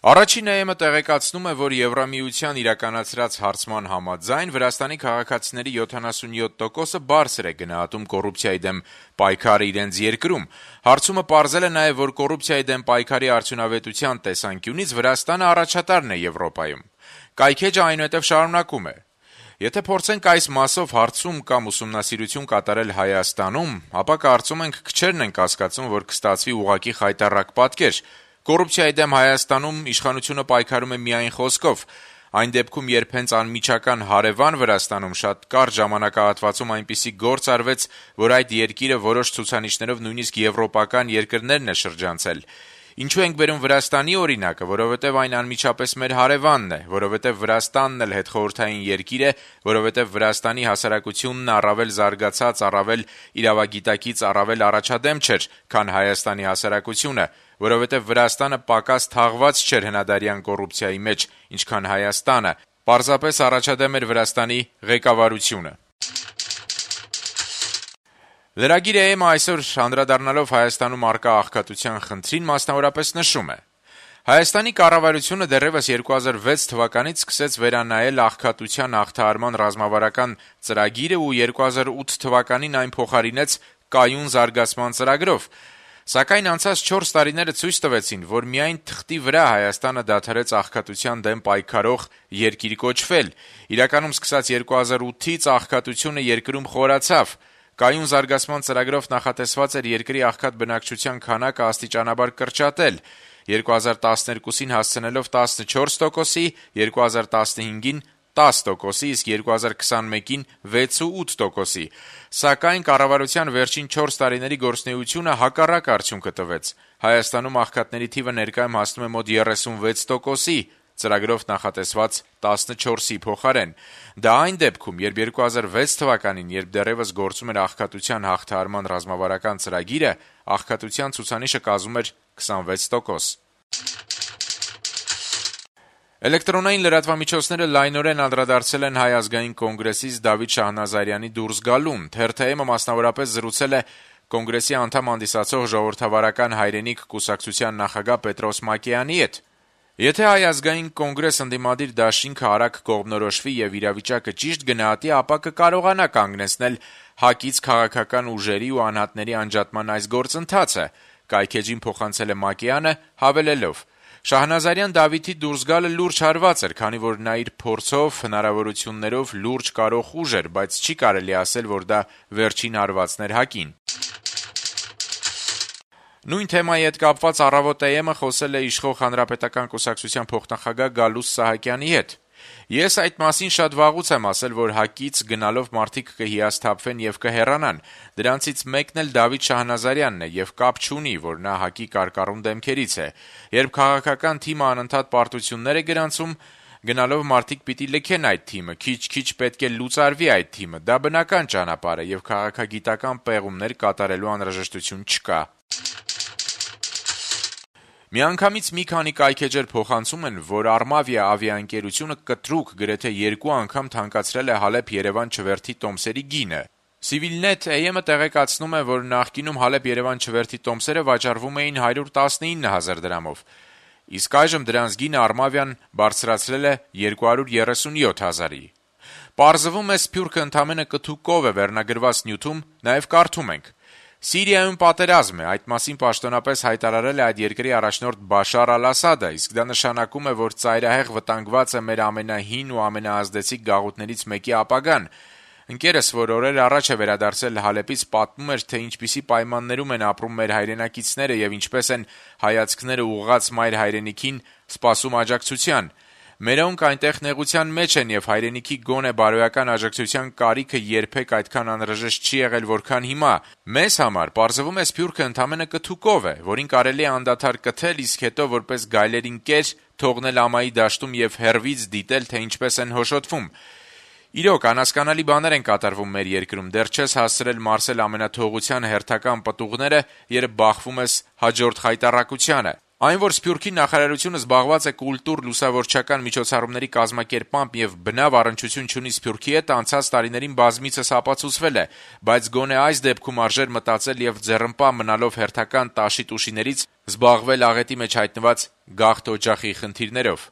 Առաջին ԵՄ տեղեկացնում է, որ Եվրամիության իրականացրած հարցման համաձայն Վրաստանի քաղաքացիների 77%-ը բարձր է գնահատում կոռուպցիայի դեմ պայքարը իրենց երկրում։ Հարցումը պարզել է նաև, որ կոռուպցիայի դեմ պայքարի արդյունավետության տեսանկյունից Վրաստանը առաջատարն է Եվրոպայում։ Կայքեջը այնուհետև շարունակում է. Եթե փորձենք այս մասով հարցում կամ ուսումնասիրություն կատարել Հայաստանում, ապա կարծում ենք քչերն են կասկածում, որ կստացվի ուղղակի խայտառակ պատկեր։ Կոռուպցիայի դեմ Հայաստանում իշխանությունը պայքարում է միայն խոսքով։ Այն դեպքում, երբ հենց անմիջական հարևան Վրաստանում շատ կարճ ժամանակահատվածում այնպիսի գործ արվեց, որ այդ երկիրը որոշ ցուցանիշներով նույնիսկ եվրոպական երկրներն է շրջանցել։ Ինչու ենք բերում Վրաստանի օրինակը, որովհետև այն անմիջապես մեր հարևանն է, որովհետև Վրաստանն էլ հետխորհրդային երկիր է, որովհետև Վրաստանի հասարակությունն առավել զարգացած, առավել իրավագիտակից առավել առաջադեմ չէր, քան Հայաստանի հասարակությունը, որովհետև Վրաստանը պակաս թաղված չէր հնադարյան կոռուպցիայի մեջ, ինչքան Հայաստանը, պարզապես առաջադեմ էր Վրաստանի ղեկավարությունը։ Լրագիր ԵՄ այսօր անդրադառնալով Հայաստանում առկա աղքատության խնդրին մասնավորապես նշում է. Հայաստանի կառավարությունը դեռևս 2006 թվականից սկսեց վերանայել աղքատության հաղթահարման ռազմավարական ծրագիրը ու 2008 թվականին այն փոխարինեց կայուն զարգացման ծրագրով։ Սակայն անցած 4 տարիները ցույց տվեցին, որ միայն թղթի վրա Հայաստանը դադարեց աղքատության դեմ պայքարող երկիր կոչվել։ Իրականում սկսած 2008-ից աղքատությունը երկրում խորացավ։ Կայուն զարգացման ծրագրով նախատեսված էր երկրի աղքատ բնակչության քանակը աստիճանաբար կրճատել, 2012-ին հասցնելով 14%-ի, 2015-ին 10%-ի, իսկ 2021-ին 6,8%-ի։ Սակայն կառավարության վերջին 4 տարիների գործունեությունը հակառակ արդյունքը տվեց։ Հայաստանում աղքատների թիվը ներկայում հասնում է մոտ 36%-ի, ծրագրով նախատեսված 14-ի փոխարեն։ Դա այն դեպքում, երբ 2006 թվականին, երբ դեռևս գործում էր աղքատության հաղթահարման ռազմավարական ծրագիրը, աղքատության ցուցանիշը կազմում էր 26%։ Էլեկտրոնային լրատվամիջոցները լայնորեն անդրադարձել են Հայ ազգային կոնգրեսից Դավիթ Շահնազարյանի դուրս գալուն։ Թերթ.am-ը մասնավորապես զրուցել է կոնգրեսի անդամ հանդիսացող Ժողովրդավարական հայրենիք կուսակցության նախագահ Պետրոս Մակեյանի հետ։ Եթե Հայ ազգային կոնգրես ընդդիմադիր դաշինքը արագ կողմնորոշվի եւ իրավիճակը ճիշտ գնահատի, ապա կկարողանա կանգնեցնել ՀԱԿ-ից քաղաքական ուժերի ու անհատների անջատման այս գործընթացը, կայքեջին փոխանցել է Մակեյանը, հավելելով. Շահնազարյան Դավիթի դուրս գալը լուրջ հարված էր, քանի որ նա իր փորձով, հնարավորություններով լուրջ կարող ուժ էր, բայց չի կարելի ասել, որ դա վերջին հարվածն էր ՀԱԿ-ին։ Նույն թեմայի հետ կապված Առավոտ.am-ը խոսել է իշխող Հանրապետական կուսակցության փոխնախագահ Գալուստ Սահակյանի հետ։ Ես այդ մասին շատ վաղուց եմ ասել, որ ՀԱԿ-ից գնալով մարդիկ կհիասթափվեն եւ կհեռանան։ Դրանցից մեկն էլ Դավիթ Շահնազարյանն է եւ կապ չունի, որ նա ՀԱԿ-ի կարկառուն դեմքերից է։ Երբ քաղաքական թիմը անընդհատ պարտություններ է գրանցում, գնալով մարդիկ պիտի լքեն այդ թիմը, քիչ-քիչ պետք է լուծարվի այդ թիմը։ Դա բնական ճանապարհ է եւ քաղաքագիտական պեղումներ կատարելու անհրաժեշտություն չկա։ Միանգամից մի քանի կայքեջեր փոխանցում են, որ Արմավիա ավիաընկերությունը կտրուկ գրեթե 2 անգամ թանկացրել է Հալեբ-Երևան չվերթի տոմսերի գինը։ Civilnet.am-ը տեղեկացնում է, որ նախկինում Հալեբ-Երևան չվերթի տոմսերը վաճառվում էին 119,000 դրամով, իսկ այժմ դրանց գինը Արմավիան բարձրացրել է 237,000-ի։ Պարզվում է, սփյուռքը ընդամենը կթուկով է վերնագրված նյութում, նաև կարդում ենք. Սիրիայում պատերազմ է, այդ մասին պաշտոնապես հայտարարել է այդ երկրի առաջնորդ Բաշար Ալ-Ասադը, իսկ դա նշանակում է, որ ծայրահեղ վտանգված է մեր ամենահին ու ամենաազդեցիկ գաղութներից մեկի ապագան։ Ընկերս, որ օրեր առաջ է վերադարձել Հալեբից, պատմում էր, թե ինչպիսի պայմաններում են ապրում մեր հայրենակիցները եւ ինչպես են հայացքները ուղղած մայր հայրենիքին սպասում աջակցության։ Մերոնք այնտեղ նեղության մեջ են եւ հայրենիքի գոնե բարոյական աջակցության կարիքը երբեք այդքան անհրաժեշտ չի եղել, որքան հիմա։ Մեզ համար պարզվում է սփյուռքը ընդամենը կթուկով է, որին կարելի է անդադար կթել, իսկ հետո որպես գայլերին կեր թողնել ամայի դաշտում եւ հերվից դիտել, թե ինչպես են հոշոտվում։ Իրոք, անհասկանալի բաներ են կատարվում մեր երկրում, դեռ չես հասցրել մարսել ամենաթողության հերթական պտուղները, երբ բախվում ես հաջորդ խայտառակությանը։ Այն, որ Սփյուռքի նախարարությունը զբաղված է կուլտուր լուսավորչական միջոցառումների կազմակերպմամբ եւ բնավ առնչություն չունի Սփյուռքի հետ, անցած տարիներին բազմիցս ապացուցվել է, բայց գոնե այս դեպքում արժեր մտածել եւ ձեռնպահ մնալով հերթական տաշի-տուշիներից զբաղվել աղետի մեջ հայտնված գաղթ օջախի խնդիրներով: